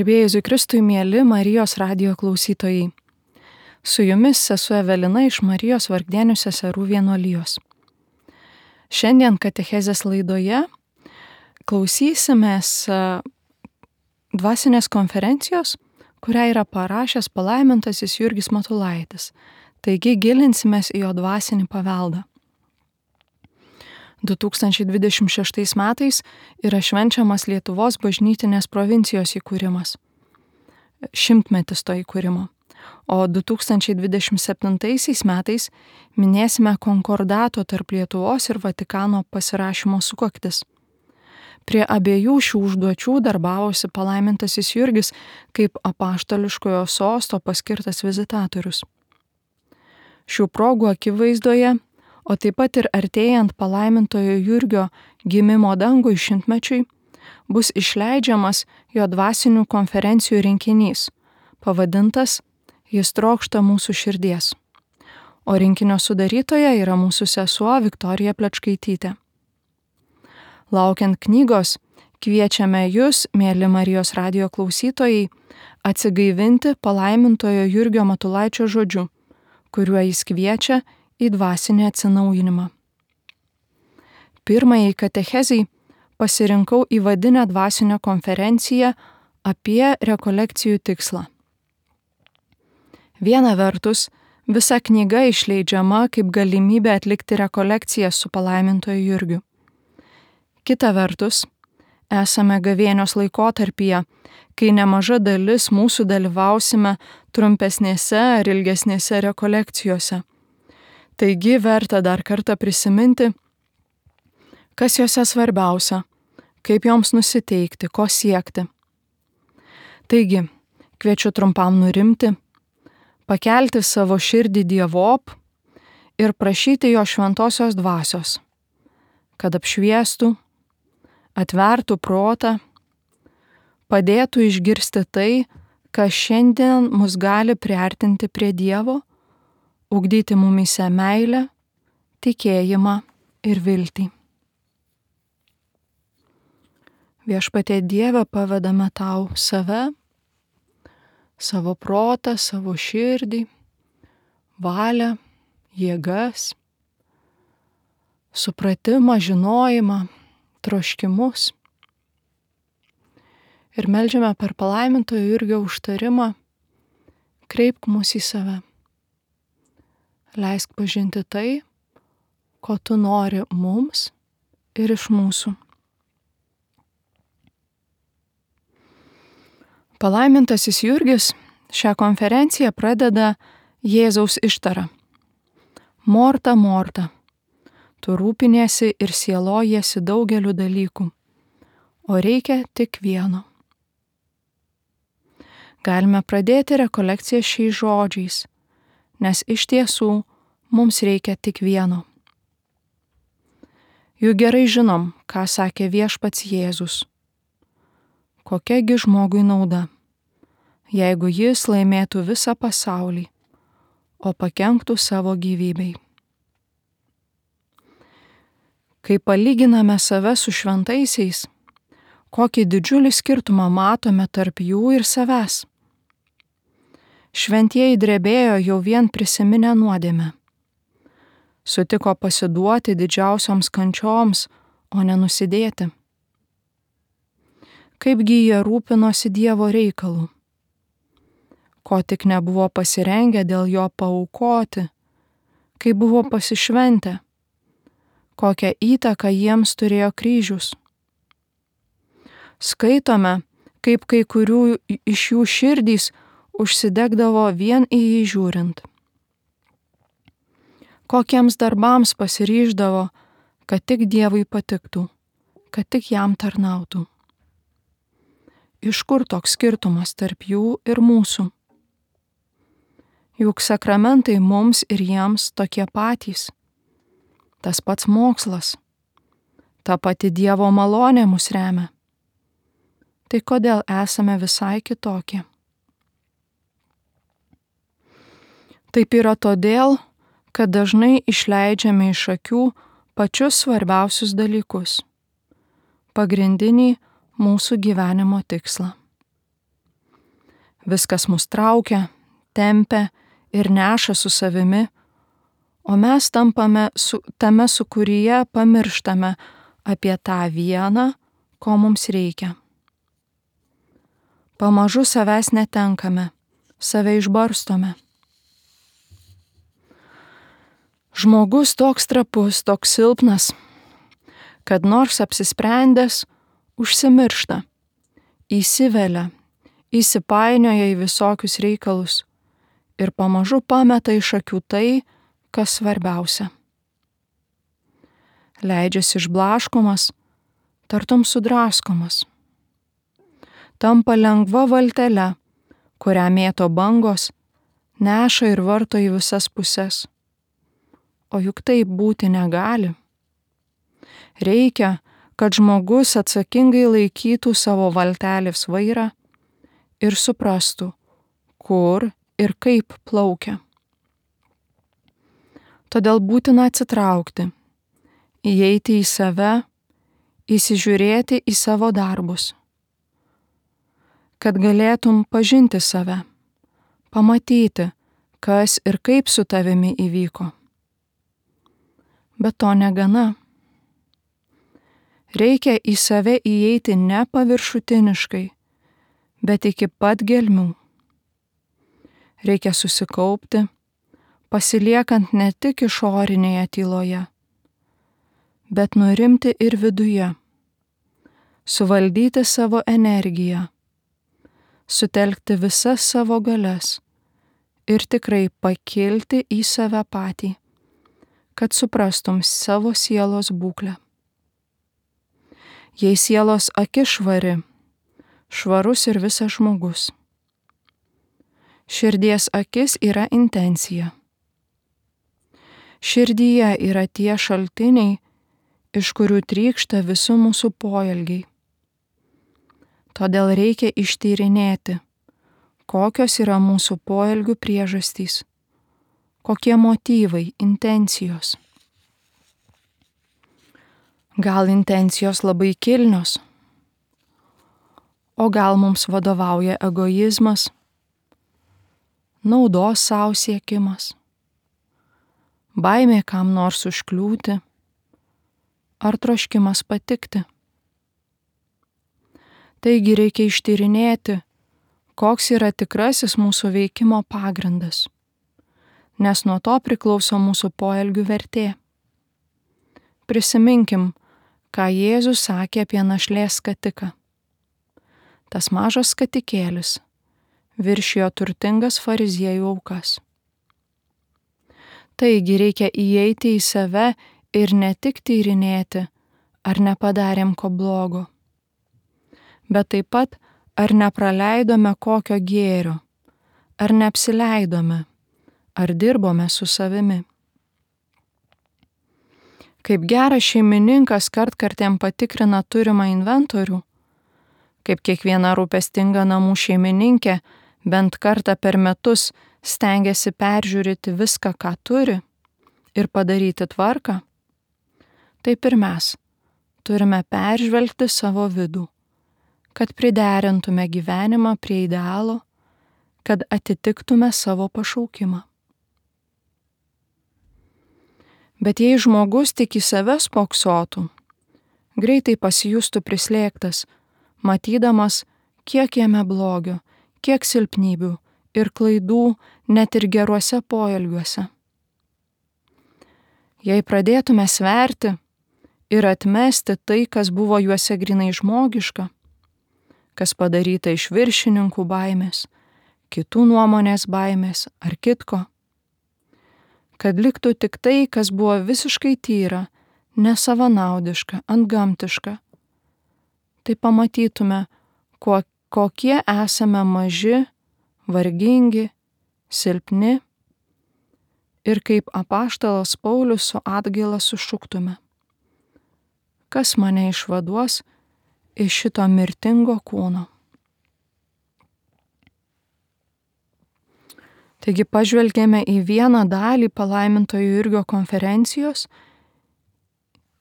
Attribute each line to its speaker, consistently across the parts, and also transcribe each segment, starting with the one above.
Speaker 1: Garbėjai Jėzui Kristui, mieli Marijos radijo klausytojai. Su jumis sesuo Evelina iš Marijos Vargdienių seserų vienuolijos. Šiandien katechezės laidoje klausysimės dvasinės konferencijos, kurią yra parašęs palaimintasis Jurgis Matulaitis. Taigi gilinsimės į jo dvasinį paveldą. 2026 metais yra švenčiamas Lietuvos bažnytinės provincijos įkūrimas. 100-metis to įkūrimo. O 2027 metais minėsime konkordato tarp Lietuvos ir Vatikano pasirašymo sukaktis. Prie abiejų šių užduočių darbavosi palaimintasis Jurgis kaip apaštališkojo sosto paskirtas vizitatorius. Šių progų akivaizdoje, o taip pat ir artėjant palaimintojo Jurgio gimimo dangui 100-mečiui, bus išleidžiamas jo dvasinių konferencijų rinkinys, pavadintas Jis trokšta mūsų širdies. O rinkinio sudarytoja yra mūsų sesuo Viktorija Plečkaitytė. Laukiant knygos, kviečiame jūs, mieli Marijos radijo klausytojai, atsigaivinti palaimintojo Jurgio Matulaičio žodžiu, kuriuo jis kviečia į dvasinį atsinaujinimą. Pirmajai katechezei pasirinkau įvadinę dvasinę konferenciją apie rekolekcijų tikslą. Viena vertus, visa knyga išleidžiama kaip galimybė atlikti rekolekcijas su palaimintoju Jurgiu. Kita vertus, esame gavėnios laikotarpyje, kai nemaža dalis mūsų dalyvausime trumpesnėse ar ilgesnėse rekolekcijose. Taigi verta dar kartą prisiminti, kas jose svarbiausia, kaip joms nusiteikti, ko siekti. Taigi, kviečiu trumpam nurimti, pakelti savo širdį Dievop ir prašyti jo šventosios dvasios, kad apšviestų, atvertų protą, padėtų išgirsti tai, kas šiandien mus gali priartinti prie Dievo, ugdyti mumyse meilę, tikėjimą ir viltį. Viešpatie Dieve, pavedame tau save, savo protą, savo širdį, valią, jėgas, supratimą, žinojimą, troškimus. Ir meldžiame per palaimintojo Jurgio užtarimą, kreipk mus į save. Leisk pažinti tai, ko tu nori mums ir iš mūsų. Palaimintasis Jurgis šią konferenciją pradeda Jėzaus ištara. Morta, Morta, tu rūpiniesi ir sielojiesi daugeliu dalykų, o reikia tik vieno. Galime pradėti rekolekciją šiais žodžiais, nes iš tiesų mums reikia tik vieno. Juk gerai žinom, ką sakė viešpats Jėzus. Kokiagi žmogui nauda, jeigu jis laimėtų visą pasaulį, o pakenktų savo gyvybei. Kai palyginame save su šventaisiais, kokį didžiulį skirtumą matome tarp jų ir savęs. Šventieji drebėjo jau vien prisiminę nuodėmę. Sutiko pasiduoti didžiausioms kančioms, o ne nusidėti. Kaipgi jie rūpinosi Dievo reikalų. Ko tik nebuvo pasirengę dėl jo paaukoti, kai buvo pasišventę, kokią įtaką jiems turėjo kryžius. Skaitome, kaip kai kurių iš jų širdys užsidegdavo vien į jį žiūrint. Kokiems darbams pasiryždavo, kad tik Dievui patiktų, kad tik jam tarnautų. Iš kur toks skirtumas tarp jų ir mūsų? Juk sakramentai mums ir jiems tokie patys. Tas pats mokslas. Ta pati Dievo malonė mus remia. Tai kodėl esame visai kitokie? Taip yra todėl, kad dažnai išleidžiame iš akių pačius svarbiausius dalykus. Pagrindinį mūsų gyvenimo tikslą. Viskas mus traukia, tempia ir neša su savimi, o mes tampame tame sūkuryje pamirštame apie tą vieną, ko mums reikia. Pamažu savęs netenkame, save išbarstome. Žmogus toks trapus, toks silpnas, kad nors apsisprendęs, užsimiršta, įsivelia, įsipainioja į visokius reikalus ir pamažu pameta iš akių tai, kas svarbiausia. Leidžiasi išblaškomas, tartum sudraskomas. Tampa lengva valtele, kurią mėto bangos, neša ir varto į visas puses. O juk taip būti negali. Reikia, kad žmogus atsakingai laikytų savo valtelės vairą ir suprastų, kur ir kaip plaukia. Todėl būtina atsitraukti, įeiti į save, įsižiūrėti į savo darbus, kad galėtum pažinti save, pamatyti, kas ir kaip su tavimi įvyko. Bet to negana. Reikia į save įeiti ne paviršutiniškai, bet iki pat gelmių. Reikia susikaupti, pasiliekant ne tik išorinėje tyloje, bet nurimti ir viduje, suvaldyti savo energiją, sutelkti visas savo galias ir tikrai pakilti į save patį, kad suprastum savo sielos būklę. Jei sielos akis švari, švarus ir visas žmogus. Širdies akis yra intencija. Širdyje yra tie šaltiniai, iš kurių trykšta visi mūsų poelgiai. Todėl reikia ištyrinėti, kokios yra mūsų poelgių priežastys, kokie motyvai, intencijos. Gal intencijos labai kilnios, o gal mums vadovauja egoizmas, naudos savo siekimas, baimė kam nors užkliūti ar troškimas patikti. Taigi reikia ištyrinėti, koks yra tikrasis mūsų veikimo pagrindas, nes nuo to priklauso mūsų poelgių vertė. Prisiminkim, ką Jėzus sakė apie našlės skatiką. Tas mažas skatikėlis viršijo turtingas fariziejų aukas. Taigi reikia įeiti į save ir ne tik tyrinėti, ar nepadarėm ko blogo, bet taip pat, ar nepraleidome kokio gėrio, ar neapsileidome, ar dirbome su savimi. Kaip geras šeimininkas kartkartėm patikrina turimą inventorių, kaip kiekviena rūpestinga namų šeimininkė bent kartą per metus stengiasi peržiūrėti viską, ką turi ir padaryti tvarką, taip ir mes turime peržvelgti savo vidų, kad priderintume gyvenimą prie idealo, kad atitiktume savo pašaukimą. Bet jei žmogus tik į save spoksotų, greitai pasijustų prislėgtas, matydamas, kiek jame blogio, kiek silpnybių ir klaidų net ir geruose poelgiuose. Jei pradėtume sverti ir atmesti tai, kas buvo juose grinai žmogiška, kas padaryta iš viršininkų baimės, kitų nuomonės baimės ar kitko, kad liktų tik tai, kas buvo visiškai tyra, nesavanaudiška, antgamtiška, tai pamatytume, kokie esame maži, vargingi, silpni ir kaip apaštalas Paulius su atgaila sušuktume: kas mane išvaduos iš šito mirtingo kūno? Taigi pažvelgėme į vieną dalį palaimintojo Jurgio konferencijos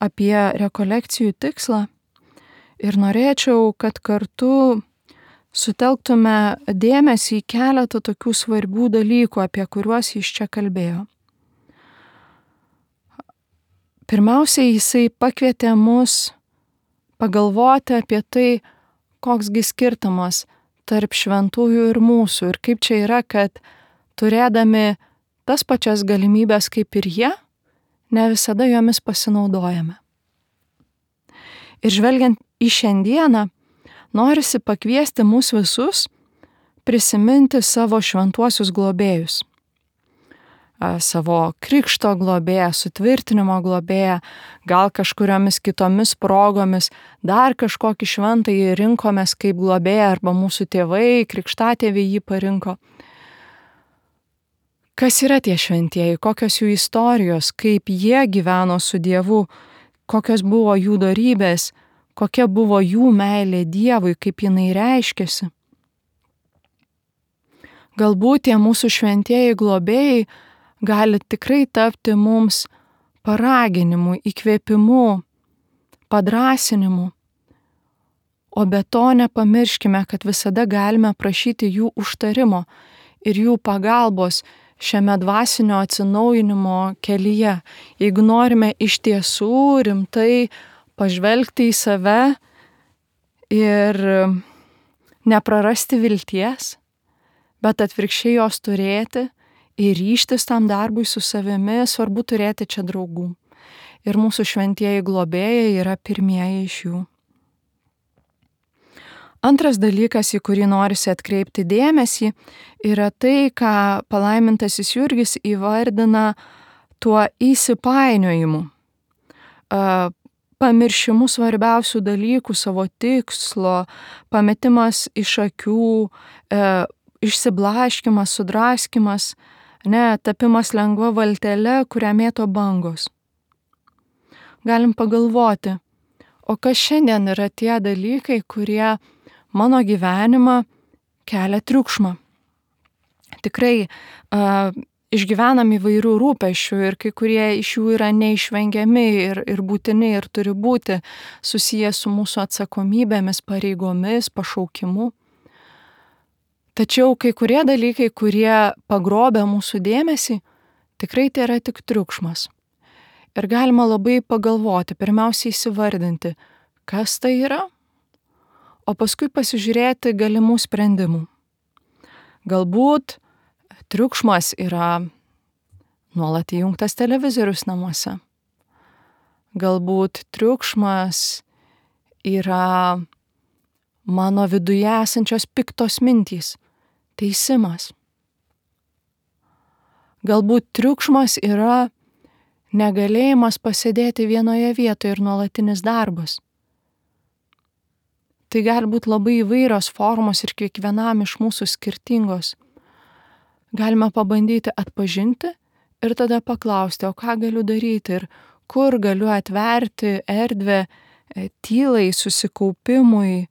Speaker 1: apie rekolekcijų tikslą ir norėčiau, kad kartu sutelktume dėmesį į keletą tokių svarbių dalykų, apie kuriuos jis čia kalbėjo. Pirmiausiai, jisai pakvietė mus pagalvoti apie tai, koksgi skirtumas tarp šventųjų ir mūsų ir kaip čia yra, kad turėdami tas pačias galimybės kaip ir jie, ne visada jomis pasinaudojame. Ir žvelgiant į šiandieną, norisi pakviesti mus visus prisiminti savo šventuosius globėjus. Savo krikšto globėją, sutvirtinimo globėją, gal kažkuriomis kitomis progomis dar kažkokį šventąjį rinkomės kaip globėją arba mūsų tėvai, krikštatėviai jį parinko. Kas yra tie šventieji, kokios jų istorijos, kaip jie gyveno su Dievu, kokios buvo jų dorybės, kokia buvo jų meilė Dievui, kaip jinai reiškėsi. Galbūt tie mūsų šventieji globėjai gali tikrai tapti mums paraginimu, įkvėpimu, padrąsinimu. O be to nepamirškime, kad visada galime prašyti jų užtarimo ir jų pagalbos šiame dvasinio atsinaujinimo kelyje. Jeigu norime iš tiesų rimtai pažvelgti į save ir neprarasti vilties, bet atvirkščiai jos turėti, ir ryžtis tam darbui su savimi, svarbu turėti čia draugų. Ir mūsų šventieji globėjai yra pirmieji iš jų. Antras dalykas, į kurį norisi atkreipti dėmesį, yra tai, ką palaimintasis Jurgis įvardina tuo įsipainiojimu. Pamiršimu svarbiausių dalykų, savo tikslo, pametimas iš akių, išsiblaškimas, sudraskimas, tapimas lengva valtele, kurią mėto bangos. Galim pagalvoti, o kas šiandien yra tie dalykai, kurie mano gyvenimą kelia triukšmą. Tikrai išgyvenam įvairių rūpesčių ir kai kurie iš jų yra neišvengiami ir būtini ir turi būti susiję su mūsų atsakomybėmis, pareigomis, pašaukimu. Tačiau kai kurie dalykai, kurie pagrobia mūsų dėmesį, tikrai tai yra tik triukšmas. Ir galima labai pagalvoti, pirmiausiai įsivardinti, kas tai yra, o paskui pasižiūrėti galimų sprendimų. Galbūt triukšmas yra nuolat įjungtas televizorius namuose. Galbūt triukšmas yra mano viduje esančios piktos mintys, teisimas. Galbūt triukšmas yra negalėjimas pasėdėti vienoje vietoje ir nuolatinis darbas. Tai gali būti labai įvairios formos ir kiekvienam iš mūsų skirtingos. Galime pabandyti atpažinti ir tada paklausti, o ką galiu daryti ir kur galiu atverti erdvę tylai, susikaupimui,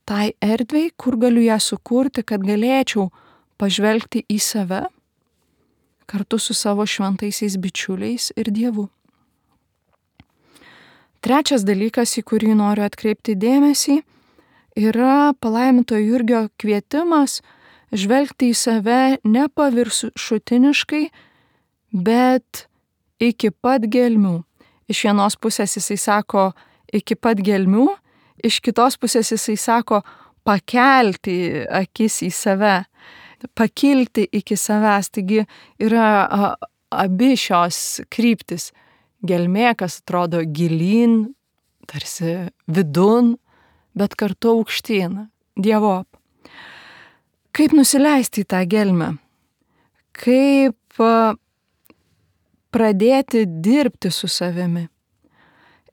Speaker 1: tai erdvei, kur galiu ją sukurti, kad galėčiau pažvelgti į save kartu su savo šventaisiais bičiuliais ir Dievu. Trečias dalykas, į kurį noriu atkreipti dėmesį, yra palaimintojo Jurgio kvietimas žvelgti į save ne paviršutiniškai, bet iki pat gelmių. Iš vienos pusės jisai sako iki pat gelmių, iš kitos pusės jisai sako pakelti akis į save, pakilti iki savęs. Taigi yra abi šios kryptis. Gelmė, kas atrodo gilyn, tarsi vidun, bet kartu aukštyn, Dievop. Kaip nusileisti į tą gelmę? Kaip pradėti dirbti su savimi?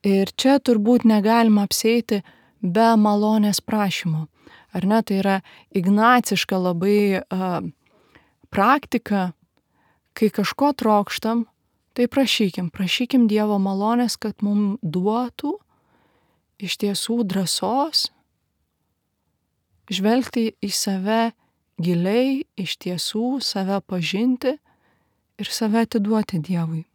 Speaker 1: Ir čia turbūt negalima apsieiti be malonės prašymo. Ar ne? Tai yra ignaciška labai praktika, kai kažko trokštam, tai prašykim Dievo malonės, kad mums duotų iš tiesų drąsos žvelgti į save giliai, iš tiesų save pažinti ir save atiduoti Dievui.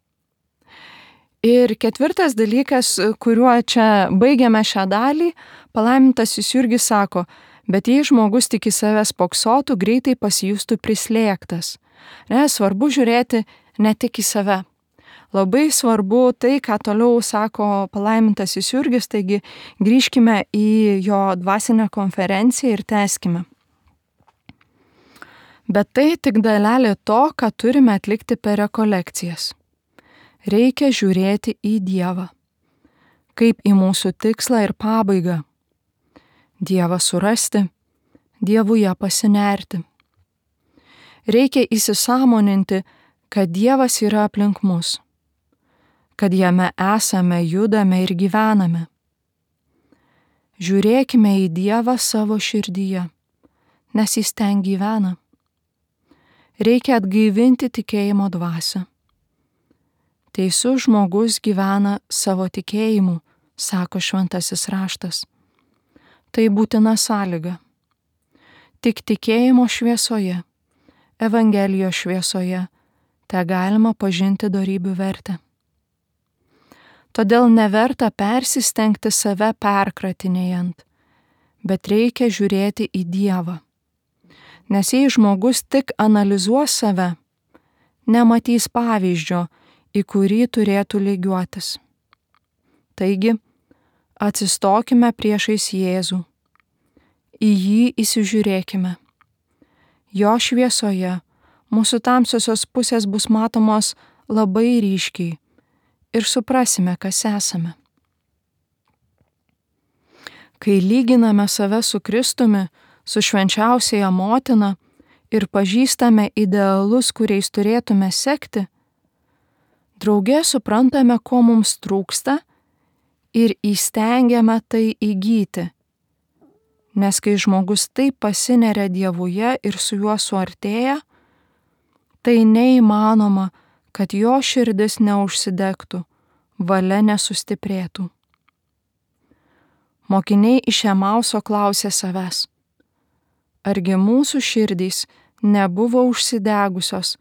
Speaker 1: Ir ketvirtas dalykas, kuriuo čia baigiame šią dalį, palaimintasis Jurgis sako, bet jei žmogus tik į save spoksotų, greitai pasijustų prislėgtas. Svarbu žiūrėti ne tik į save. Labai svarbu tai, ką toliau sako palaimintasis Jurgis, taigi grįžkime į jo dvasinę konferenciją ir tęskime. Bet tai tik dalelė to, ką turime atlikti per rekolekcijas. Reikia žiūrėti į Dievą, kaip į mūsų tikslą ir pabaigą. Dievą surasti, Dievuje pasinerti. Reikia įsisąmoninti, kad Dievas yra aplink mus, kad jame esame, judame ir gyvename. Žiūrėkime į Dievą savo širdyje, nes jis ten gyvena. Reikia atgaivinti tikėjimo dvasią. Teisus žmogus gyvena savo tikėjimu, sako šventasis raštas. Tai būtina sąlyga. Tik tikėjimo šviesoje, Evangelijos šviesoje, te galima pažinti dorybių vertę. Todėl neverta persistengti save perkratinėjant, bet reikia žiūrėti į Dievą. Nes jei žmogus tik analizuos save, nematys pavyzdžio, į kurį turėtų lygiuotis. Taigi, atsistokime priešais Jėzų. Į jį įsižiūrėkime. Jo šviesoje mūsų tamsiosios pusės bus matomos labai ryškiai ir suprasime, kas esame. Kai lyginame save su Kristumi, su švenčiausiaja motina ir pažįstame idealus, kuriais turėtume sekti, drauge suprantame, ko mums trūksta ir įstengiame tai įgyti. Nes kai žmogus taip pasineria Dievuje ir su juo suartėja, tai neįmanoma, kad jo širdis neužsidegtų, valia nesustiprėtų. Mokiniai iš Emauso klausė savęs, argi mūsų širdys nebuvo užsidegusios,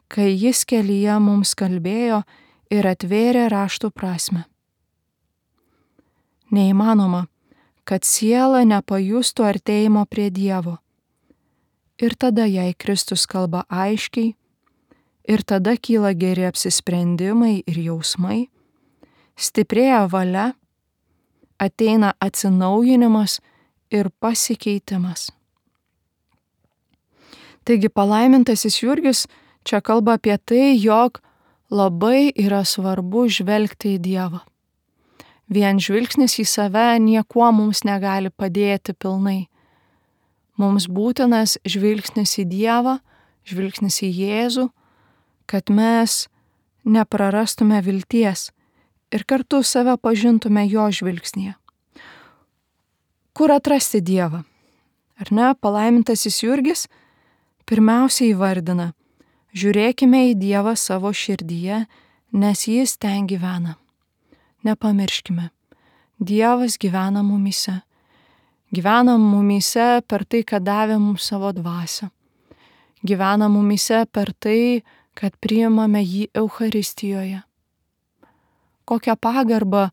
Speaker 1: kai jis kelyje mums kalbėjo ir atvėrė raštų prasmę. Neįmanoma, kad siela nepajustų artėjimo prie Dievo. Ir tada jai Kristus kalba aiškiai, ir tada kyla geri apsisprendimai ir jausmai, stiprėja valia, ateina atsinaujinimas ir pasikeitimas. Taigi palaimintasis Jurgis čia kalba apie tai, jog labai yra svarbu žvelgti į Dievą. Vien žvilgsnis į save niekuo mums negali padėti pilnai. Mums būtinas žvilgsnis į Dievą, žvilgsnis į Jėzų, kad mes neprarastume vilties ir kartu save pažintume jo žvilgsnyje. Kur atrasti Dievą? Ar ne? Palaimintasis Jurgis pirmiausia įvardina, žiūrėkime į Dievą savo širdyje, nes jis ten gyvena. Nepamirškime, Dievas gyvena mumyse. Gyvena mumyse per tai, kad davė mums savo dvasią. Gyvena mumyse per tai, kad priimame jį Eucharistijoje. Kokią pagarbą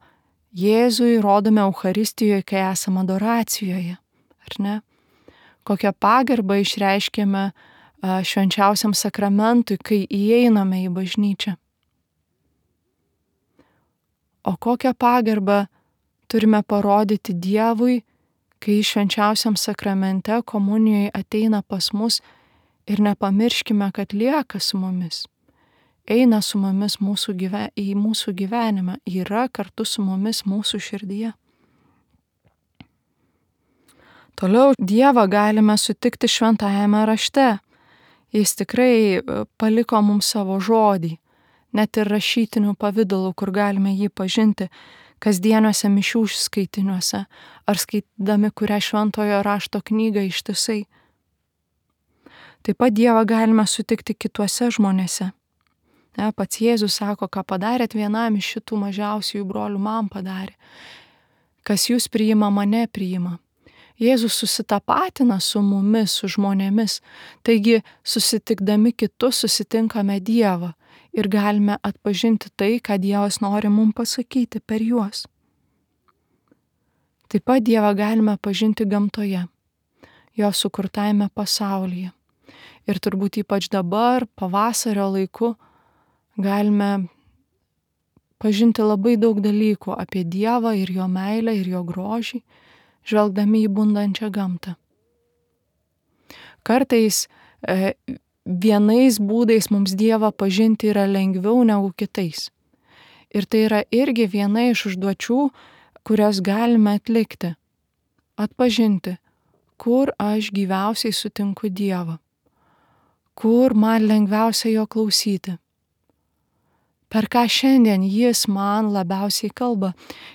Speaker 1: Jėzui rodome Eucharistijoje, kai esame adoracijoje, ar ne? Kokią pagarbą išreiškėme švenčiausiam sakramentui, kai įeiname į bažnyčią. O kokią pagarbą turime parodyti Dievui, kai švenčiausiam sakramente komunijoje ateina pas mus ir nepamirškime, kad lieka su mumis. Eina su mumis į mūsų gyvenimą, yra kartu su mumis mūsų širdyje. Toliau Dievą galime sutikti šventajame rašte. Jis tikrai paliko mums savo žodį, net ir rašytiniu pavidalu, kur galime jį pažinti kasdieniuose mišių skaitiniuose ar skaitydami kurią šventojo rašto knygą ištisai. Taip pat Dievą galime sutikti kituose žmonėse. Pats Jėzus sako, ką padarėt vienam iš šitų mažiausiųjų brolių, man padarė. Kas jūs priima, mane priima. Jėzus susitapatina su mumis, su žmonėmis. Taigi, susitikdami kitus, susitinkame Dievą. ir galime atpažinti tai, ką Dievas nori mums pasakyti per juos. Taip pat Dievą galime pažinti gamtoje, jo sukurtajame pasaulyje. Ir turbūt ypač dabar, pavasario laiku, galime pažinti labai daug dalykų apie Dievą ir jo meilę ir jo grožį, žvelgdami į bundančią gamtą. Kartais vienais būdais mums Dievą pažinti yra lengviau negu kitais. Ir tai yra irgi viena iš užduočių, kurias galime atlikti. Atpažinti, kur aš gyviausiai sutinku Dievą, kur man lengviausia jo klausyti, per ką šiandien jis man labiausiai kalba.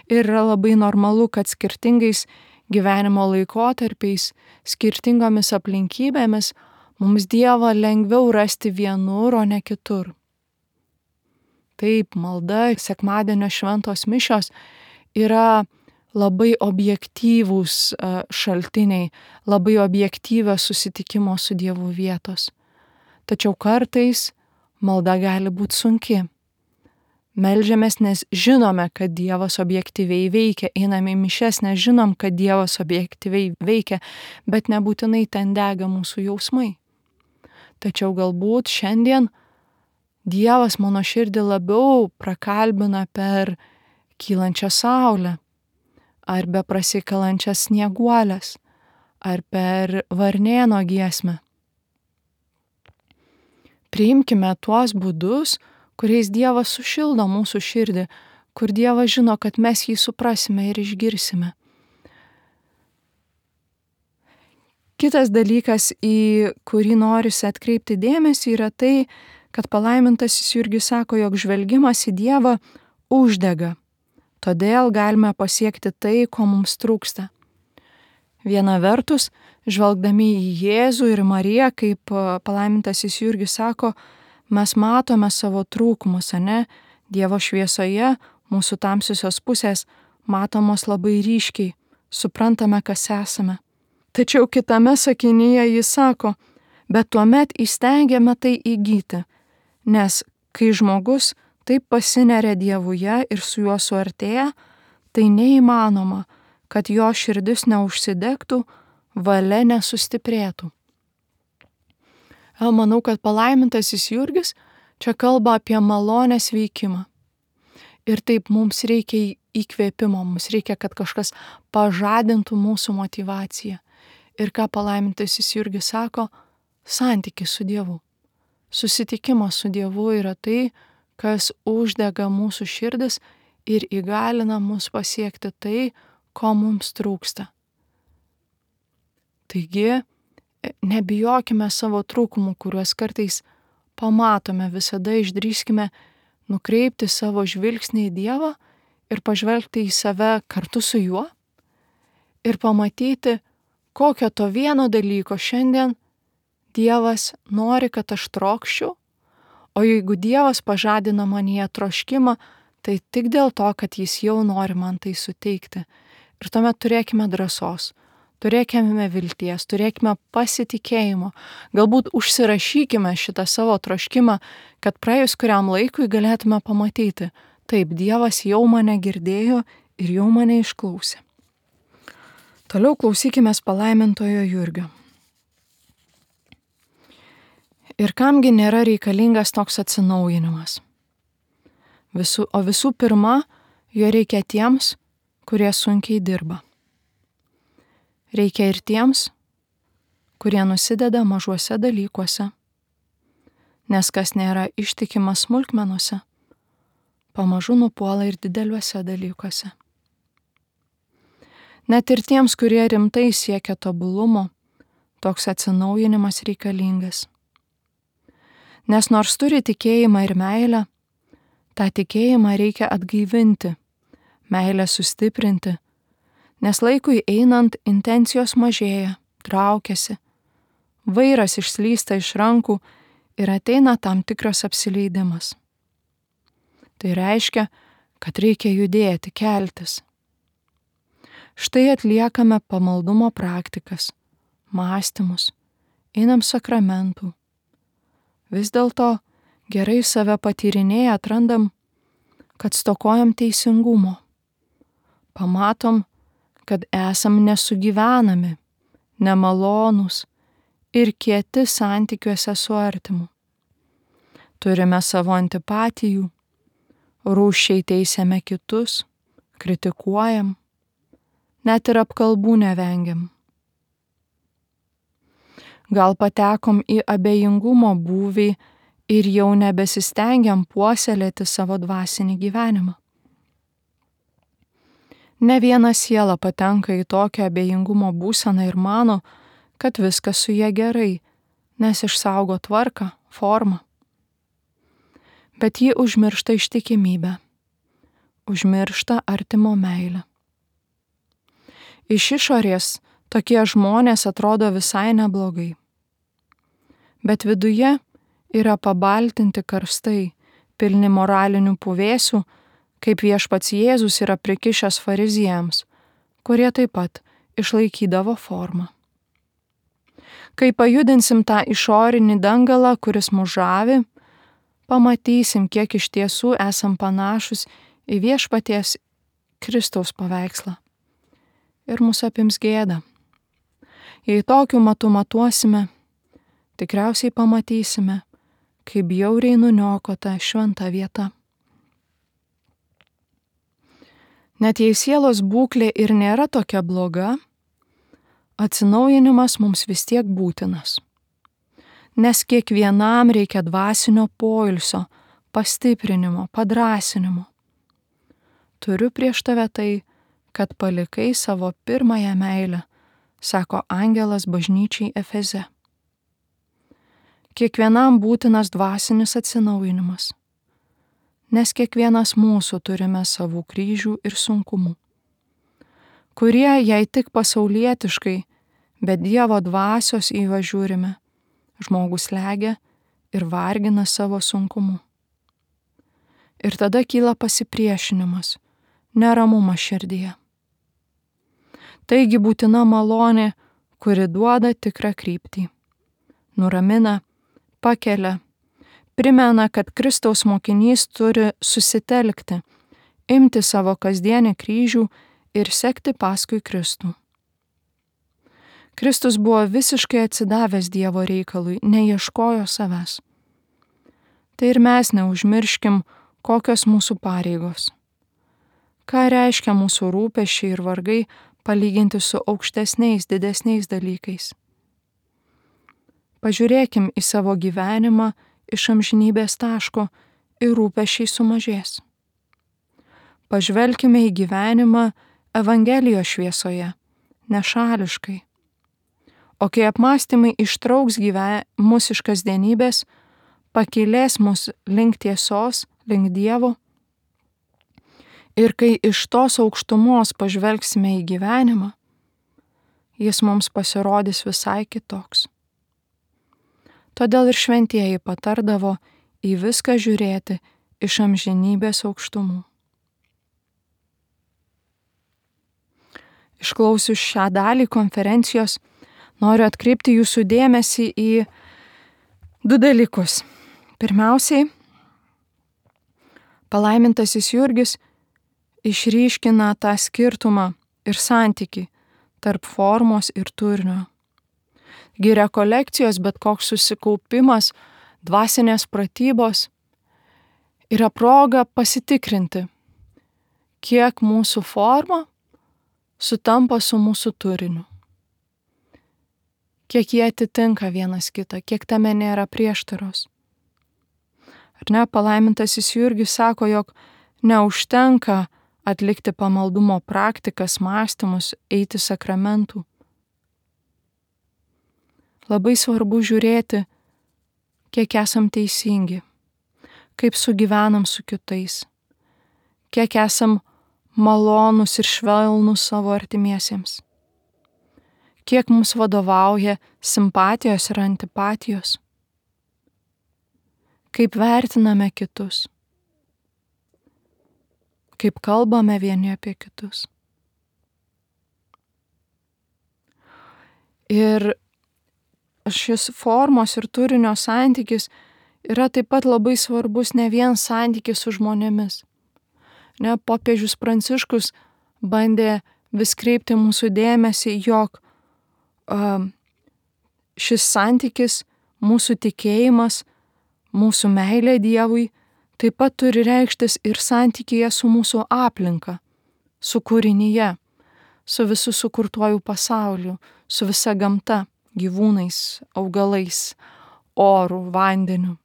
Speaker 1: Ir yra labai normalu, kad skirtingais gyvenimo laikotarpiais, skirtingomis aplinkybėmis mums Dievą lengviau rasti vienur, o ne kitur. Taip, malda, sekmadienio šventos mišios yra labai objektyvūs šaltiniai, labai objektyvios susitikimo su Dievu vietos. Tačiau kartais malda gali būti sunki. Meldžiamės, nes žinome, kad Dievas objektyviai veikia, einame į mišias, nes žinom, kad Dievas objektyviai veikia, bet nebūtinai ten dega mūsų jausmai. Tačiau galbūt šiandien Dievas mano širdį labiau prakalbina per kylančią saulę, ar beprasikalančias snieguolės, ar per varnėno giesmę. Priimkime tuos būdus, kuriais Dievas sušildo mūsų širdį, kur Dievas žino, kad mes jį suprasime ir išgirsime. Kitas dalykas, į kurį norisi atkreipti dėmesį, yra tai, kad palaimintasis Jurgis sako, jog žvelgimas į Dievą uždega. Todėl galime pasiekti tai, ko mums trūksta. Viena vertus, žvelgdami į Jėzų ir Mariją, kaip palaimintasis Jurgis sako, mes matome savo trūkumus, ane? Dievo šviesoje mūsų tamsiosios pusės matomos labai ryškiai, suprantame, kas esame. Tačiau kitame sakinyje jis sako, bet tuomet įstengiame tai įgyti, nes kai žmogus taip pasineria Dievuje ir su juo suartėja, tai neįmanoma, kad jo širdis neužsidegtų, valia nesustiprėtų. Manau, kad palaimintasis Jurgis čia kalba apie malonės veikimą. Ir taip mums reikia įkvėpimo, mums reikia, kad kažkas pažadintų mūsų motyvaciją. Ir ką palaimintasis Jurgis sako, santykis su Dievu. Susitikimas su Dievu yra tai, kas uždega mūsų širdis ir įgalina mus pasiekti tai, ko mums trūksta. Taigi, nebijokime savo trūkumų, kuriuos kartais pamatome, visada išdrįskime nukreipti savo žvilgsnį į Dievą ir pažvelgti į save kartu su juo ir pamatyti, kokio to vieno dalyko šiandien Dievas nori, kad aš trokščiau, o jeigu Dievas pažadina manyje troškimą, tai tik dėl to, kad jis jau nori man tai suteikti. Ir tuomet turėkime drąsos, turėkime vilties, turėkime pasitikėjimo, galbūt užsirašykime šitą savo troškimą, kad praėjus kuriam laikui galėtume pamatyti, taip, Dievas jau mane girdėjo ir jau mane išklausė. Toliau klausykimės palaimintojo Jurgio. Ir kamgi nėra reikalingas toks atsinaujinimas? Visų pirma, jo reikia tiems, kurie sunkiai dirba. Reikia ir tiems, kurie nusideda mažuose dalykuose, nes kas nėra ištikimas smulkmenuose, pamažu nupuola ir dideliuose dalykuose. Net ir tiems, kurie rimtai siekia tobulumo, toks atsinaujinimas reikalingas. Nes nors turi tikėjimą ir meilę, tą tikėjimą reikia atgaivinti, meilę sustiprinti, nes laikui einant intencijos mažėja, traukiasi, vairas išslysta iš rankų ir ateina tam tikras apsileidimas. Tai reiškia, kad reikia judėti, keltis. Štai atliekame pamaldumo praktikas, mąstymus, einam sakramentų. Vis dėlto gerai save patyrinėję atrandam, kad stokojam teisingumo. Pamatom, kad esam nesugyvenami, nemalonūs ir kieti santykiuose su artimu. Turime savo antipatijų, rūsčiai teisiame kitus, kritikuojam, net ir apkalbų nevengiam. Gal patekom į abejingumo būvį ir jau nebesistengiam puoselėti savo dvasinį gyvenimą. Ne viena siela patenka į tokią abejingumo būseną ir mano, kad viskas su ja gerai, nes išsaugo tvarką, formą. Bet ji užmiršta ištikimybę, užmiršta artimo meilę. Iš išorės tokie žmonės atrodo visai neblogai. Bet viduje yra pabaltinti karstai, pilni moralinių puvėsių, kaip viešpats Jėzus yra prikišęs fariziejams, kurie taip pat išlaikydavo formą. Kai pajudinsim tą išorinį dangalą, kuris mus žavi, pamatysim, kiek iš tiesų esam panašus į viešpaties Kristaus paveikslą. Ir mus apims gėda. Jei tokiu matu matuosime, tikriausiai pamatysime, kaip bjauriai nuniokota šventa vieta. Net jei sielos būklė ir nėra tokia bloga, atsinaujinimas mums vis tiek būtinas. Nes kiekvienam reikia dvasinio poilsio, pastiprinimo, padrąsinimo. Turiu prieš tave tai, kad palikai savo pirmąją meilę, sako angelas bažnyčiai Efeze. Kiekvienam būtinas dvasinis atsinaujinimas, nes kiekvienas mūsų turime savų kryžių ir sunkumų, kurie, jei tik pasaulietiškai, bet Dievo dvasios įvažiūrime, žmogus slegia ir vargina savo sunkumu. Ir tada kyla pasipriešinimas, neramumas širdyje. Taigi būtina malonė, kuri duoda tikrą kryptį, nuramina, pakelia, primena, kad Kristaus mokinys turi susitelkti, imti savo kasdienį kryžių ir sekti paskui Kristų. Kristus buvo visiškai atsidavęs Dievo reikalui, neieškojo savęs. Tai ir mes neužmirškim, kokios mūsų pareigos. Ką reiškia mūsų rūpesčiai ir vargai palyginti su aukštesniais, didesniais dalykais. Pažiūrėkim į savo gyvenimą iš amžinybės taško ir rūpesčiai sumažės. Pažvelkime į gyvenimą Evangelijos šviesoje, nešališkai. O kai apmąstymai ištrauks mus iš kasdienybės, pakylės mus link tiesos, link Dievo, ir kai iš tos aukštumos pažvelgsime į gyvenimą, jis mums pasirodys visai kitoks. Todėl ir šventieji patardavo į viską žiūrėti iš amžinybės aukštumų. Išklausius šią dalį konferencijos, noriu atkreipti jūsų dėmesį į 2 dalykus. Pirmiausiai, palaimintasis Jurgis išryškina tą skirtumą ir santykį tarp formos ir turinio. Rekolekcijos, bet koks susikaupimas, dvasinės pratybos yra proga pasitikrinti, kiek mūsų forma sutampa su mūsų turiniu. Kiek jie atitinka vienas kitą, kiek tame nėra prieštaros. Ar ne, palaimintasis Jurgis sako, jog neužtenka atlikti pamaldumo praktikas, mąstymus, eiti sakramentų. Labai svarbu žiūrėti, kiek esam teisingi, kaip sugyvenam su kitais, kiek esam malonūs ir švelnūs savo artimiesiems, kiek mums vadovauja simpatijos ir antipatijos, kaip vertiname kitus, kaip kalbame vieni apie kitus. Ir šis formos ir turinio santykis yra taip pat labai svarbus ne vien santykis su žmonėmis. Popiežius Pranciškus bandė vis kreipti mūsų dėmesį, jog šis santykis, mūsų tikėjimas, mūsų meilė Dievui taip pat turi reikštis ir santykyje su mūsų aplinka, su kūrinyje, su visu sukurtuoju pasauliu, su visa gamta, gyvūnais, augalais, oru, vandeniu.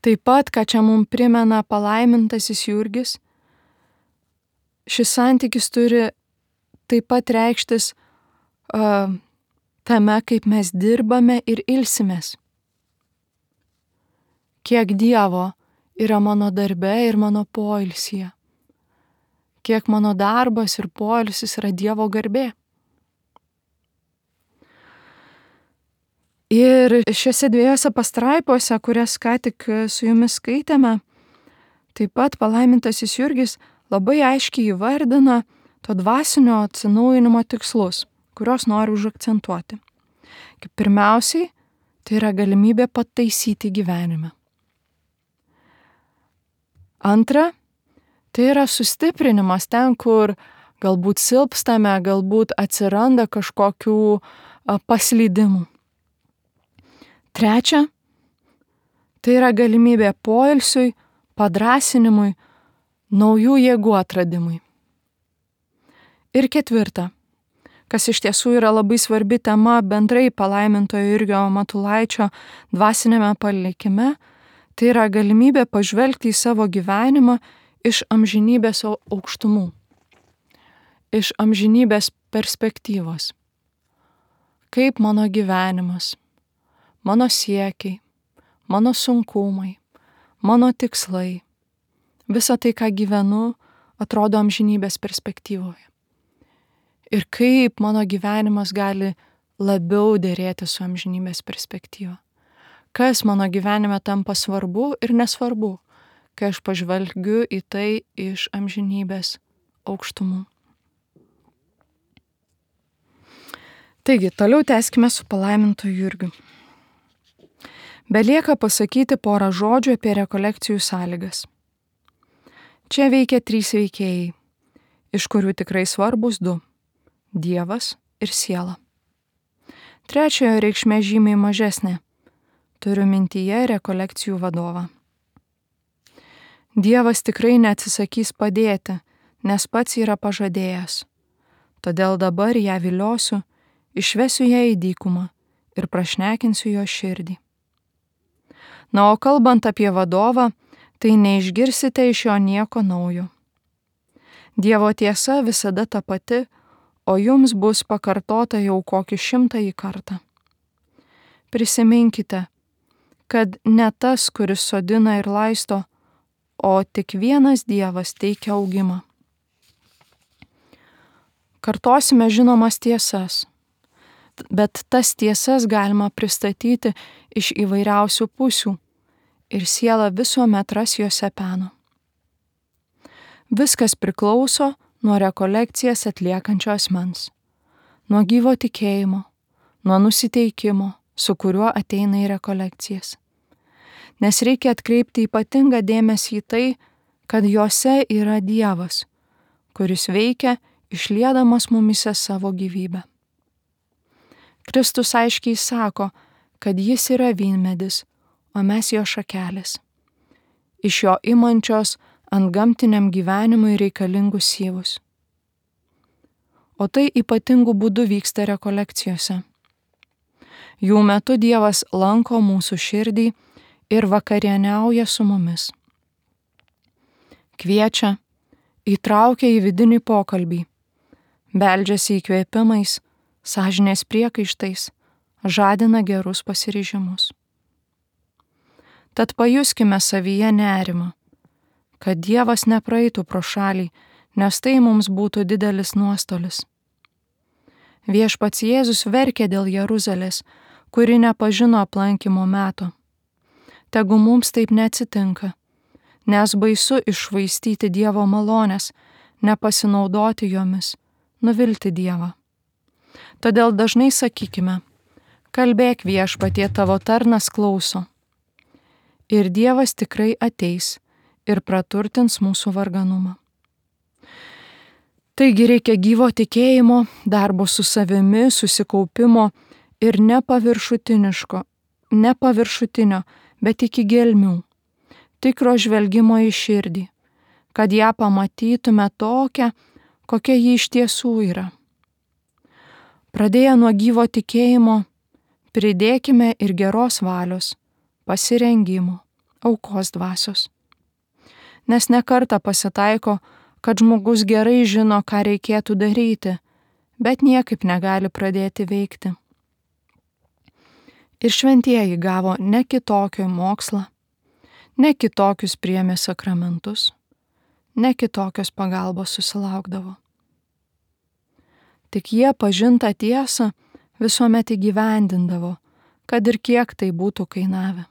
Speaker 1: Taip pat, ką čia mums primena palaimintasis Jurgis, šis santykis turi taip pat reikštis tame, kaip mes dirbame ir ilsimės. Kiek Dievo yra mano darbe ir mano poilsyje. Kiek mano darbas ir poilsis yra Dievo garbė. Ir šiose dviejose pastraipose, kurias ką tik su jumis skaitėme, taip pat palaimintasis Jurgis labai aiškiai įvardina to dvasinio atsinaujinimo tikslus, kuriuos noriu užakcentuoti. Kaip pirmiausiai, tai yra galimybė pataisyti gyvenimą. Antra, tai yra sustiprinimas ten, kur galbūt silpstame, galbūt atsiranda kažkokių paslydimų. Trečia, tai yra galimybė poilsiui, padrąsinimui, naujų jėgų atradimui. Ir ketvirta, kas iš tiesų yra labai svarbi tema bendrai palaimintojo Jurgio Matulaičio dvasinėme palikime, tai yra galimybė pažvelgti į savo gyvenimą iš amžinybės aukštumų, iš amžinybės perspektyvos. Kaip mano gyvenimas, mano siekiai, mano sunkumai, mano tikslai, visa tai, ką gyvenu, atrodo amžinybės perspektyvoje. Ir kaip mano gyvenimas gali labiau dėrėti su amžinybės perspektyva. Kas mano gyvenime tampa svarbu ir nesvarbu, kai aš pažvelgiu į tai iš amžinybės aukštumų. Taigi, toliau tęskime su palaimintoju Jurgiu. Belieka pasakyti porą žodžių apie rekolekcijų sąlygas. Čia veikia 3 veikėjai, iš kurių tikrai svarbus 2 – Dievas ir siela. Trečiojo reikšmė žymiai mažesnė. Turiu mintyje rekolekcijų vadovą. Dievas tikrai neatsisakys padėti, nes pats yra pažadėjęs. Todėl dabar ją viliosiu, išvesiu ją į dykumą ir prašnekinsiu jo širdį. Na, o kalbant apie vadovą, tai neišgirsite iš jo nieko naujo. Dievo tiesa visada ta pati, o jums bus pakartota jau kokį 100 kartą. Prisiminkite, kad ne tas, kuris sodina ir laisto, o tik vienas Dievas teikia augimą. Kartosime žinomas tiesas, bet tas tiesas galima pristatyti iš įvairiausių pusių ir siela visuomet ras juose peno. Viskas priklauso nuo rekolekcijas atliekančio asmens, nuo gyvo tikėjimo, nuo nusiteikimo, su kuriuo ateina į rekolekcijas. Nes reikia atkreipti ypatingą dėmesį į tai, kad jose yra Dievas, kuris veikia išliedamas mumise savo gyvybę. Kristus aiškiai sako, kad jis yra vynmedis, o mes jo šakelės. Iš jo imančios antgamtiniam gyvenimui reikalingus syvus. O tai ypatingų būdų vyksta rekolekcijose. Jų metu Dievas lanko mūsų širdį ir vakarieniauja su mumis. Kviečia, įtraukia į vidinį pokalbį, beldžiasi įkvėpimais, sąžinės priekaištais, žadina gerus pasiryžimus. Tad pajuskime savyje nerimą, kad Dievas nepraeitų pro šalį, nes tai mums būtų didelis nuostolis. Viešpats Jėzus verkė dėl Jeruzalės, kuri nepažino aplankymo meto. Tegu mums taip neatsitinka, nes baisu iššvaistyti Dievo malonės, nepasinaudoti jomis, nuvilti Dievą. Todėl dažnai sakykime, Kalbėk viešpatie, tavo tarnas klauso. Ir Dievas tikrai ateis ir praturtins mūsų varganumą. Taigi reikia gyvo tikėjimo, darbo su savimi, susikaupimo ir ne paviršutinio, bet iki gelmių, tikro žvelgimo į širdį, kad ją pamatytume tokią, kokia ji iš tiesų yra. Pradėję nuo gyvo tikėjimo, pridėkime ir geros valios, pasirengimo, aukos dvasios. Nes ne kartą pasitaiko, kad žmogus gerai žino, ką reikėtų daryti, bet niekaip negali pradėti veikti. Ir šventieji gavo ne kitokio mokslą, ne kitokius priėmė sakramentus, ne kitokios pagalbos susilaukdavo. Tik jie pažintą tiesą visuomet įgyvendindavo, kad ir kiek tai būtų kainavę.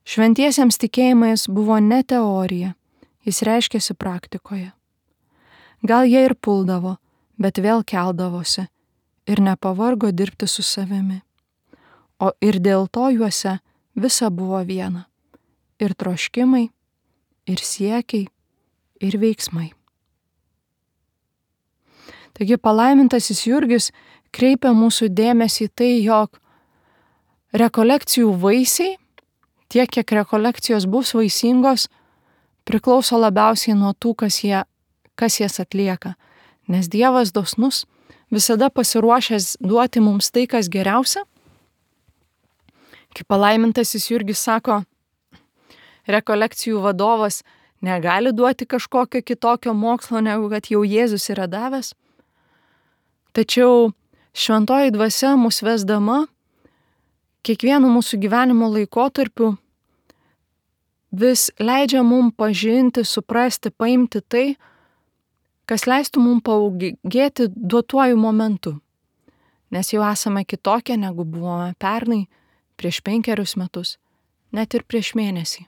Speaker 1: Šventiesiems tikėjimais buvo ne teorija, jis reiškėsi praktikoje. Gal jie ir puldavo, bet vėl keldavosi ir nepavargo dirbti su savimi. O ir dėl to juose visa buvo viena - ir troškimai, ir siekiai, ir veiksmai. Taigi palaimintasis Jurgis kreipia mūsų dėmesį į tai, jog rekolekcijų vaisiai, tiek kiek rekolekcijos bus vaisingos, priklauso labiausiai nuo tų, kas jas atlieka. Nes Dievas dosnus, visada pasiruošęs duoti mums tai, kas geriausia. Kaip palaimintasis Jurgis sako, rekolekcijų vadovas negali duoti kažkokio kitokio mokslo, negu kad jau Jėzus yra davęs. Tačiau šventoji dvasia mus vesdama kiekvienu mūsų gyvenimo laikotarpiu vis leidžia mums pažinti, suprasti, paimti tai, kas leistų mums paugėti duotuoju momentu. Nes jau esame kitokie, negu buvome pernai, prieš 5 metus, net ir prieš mėnesį.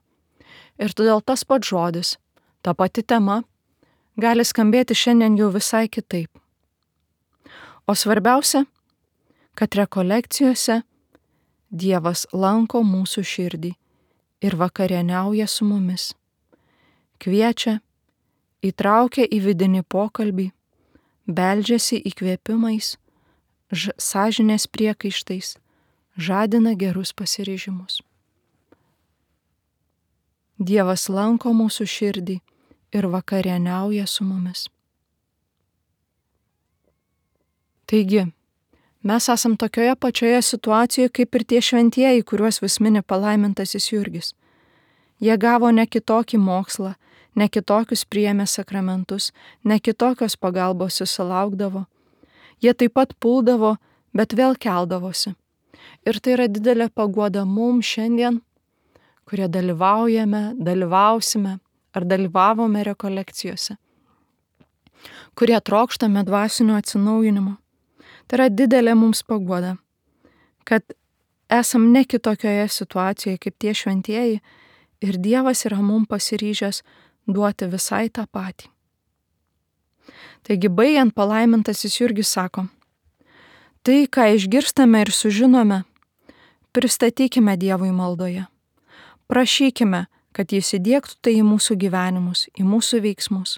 Speaker 1: Ir todėl tas pats žodis, ta pati tema, gali skambėti šiandien jau visai kitaip. O svarbiausia, kad rekolekcijose Dievas lanko mūsų širdį ir vakarieniauja su mumis. Kviečia, įtraukia į vidinį pokalbį, beldžiasi įkvėpimais, sąžinės priekaištais, žadina gerus pasiryžimus. Dievas lanko mūsų širdį ir vakarieniauja su mumis. Taigi, mes esam tokioje pačioje situacijoje kaip ir tie šventieji, kuriuos vis mini palaimintasis Jurgis. Jie gavo ne kitokį mokslą, ne kitokius priėmė sakramentus, ne kitokios pagalbos susilaukdavo. Jie taip pat puldavo, bet vėl keldavosi. Ir tai yra didelė paguoda mums šiandien, kurie dalyvausime ar dalyvavome rekolekcijose, kurie trokštame dvasinio atsinaujinimo. Tai yra didelė mums paguoda, kad esam ne kitokioje situacijoje kaip tie šventieji ir Dievas yra mums pasiryžęs duoti visai tą patį. Taigi baigiant, palaimintasis Jurgis sako, tai, ką išgirstame ir sužinome, pristatykime Dievui maldoje. Prašykime, kad Jis įdiegtų tai į mūsų gyvenimus, į mūsų veiksmus.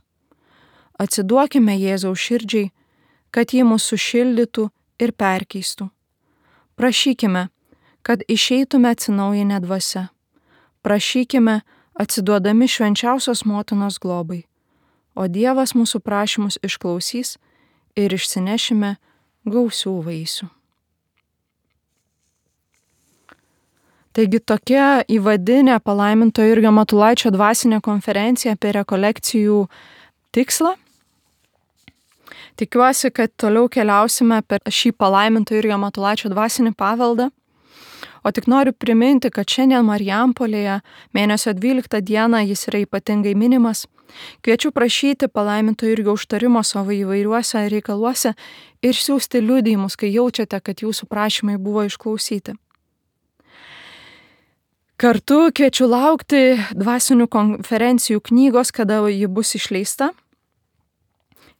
Speaker 1: Atsiduokime Jėzaus širdžiai, kad Jį mus sušildytų ir perkeistų. Prašykime, kad išeitume atsinaujinę dvasia. Prašykime, atsiduodami švenčiausios motinos globai, o Dievas mūsų prašymus išklausys ir išsinešime gausių vaisių. Taigi tokia įvadinė palaimintojo Jurgio Matulaičio dvasinė konferencija apie rekolekcijų tikslą. Tikiuosi, kad toliau keliausime per šį palaimintojo Jurgio Matulaičio dvasinį paveldą. O tik noriu priminti, kad šiandien Marijampolėje mėnesio 12 dieną jis yra ypatingai minimas. Kviečiu prašyti palaimintojo Jurgio užtarimo savo įvairiuose reikaluose ir siųsti liudijimus, kai jaučiate, kad jūsų prašymai buvo išklausyti. Kartu kviečiu laukti dvasinių konferencijų knygos, kada ji bus išleista.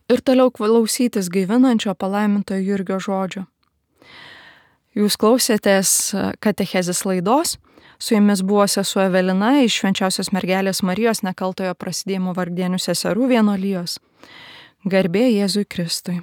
Speaker 1: Ir toliau klausytis gaivinančio palaimintojo Jurgio žodžio. Jūs klausėtės katechezės laidos. Su jumis buvo sesuo Evelina iš Švenčiausios mergelės Marijos Nekaltojo Prasidėjimo Vargdienių seserų vienuolijos. Garbė Jėzui Kristui.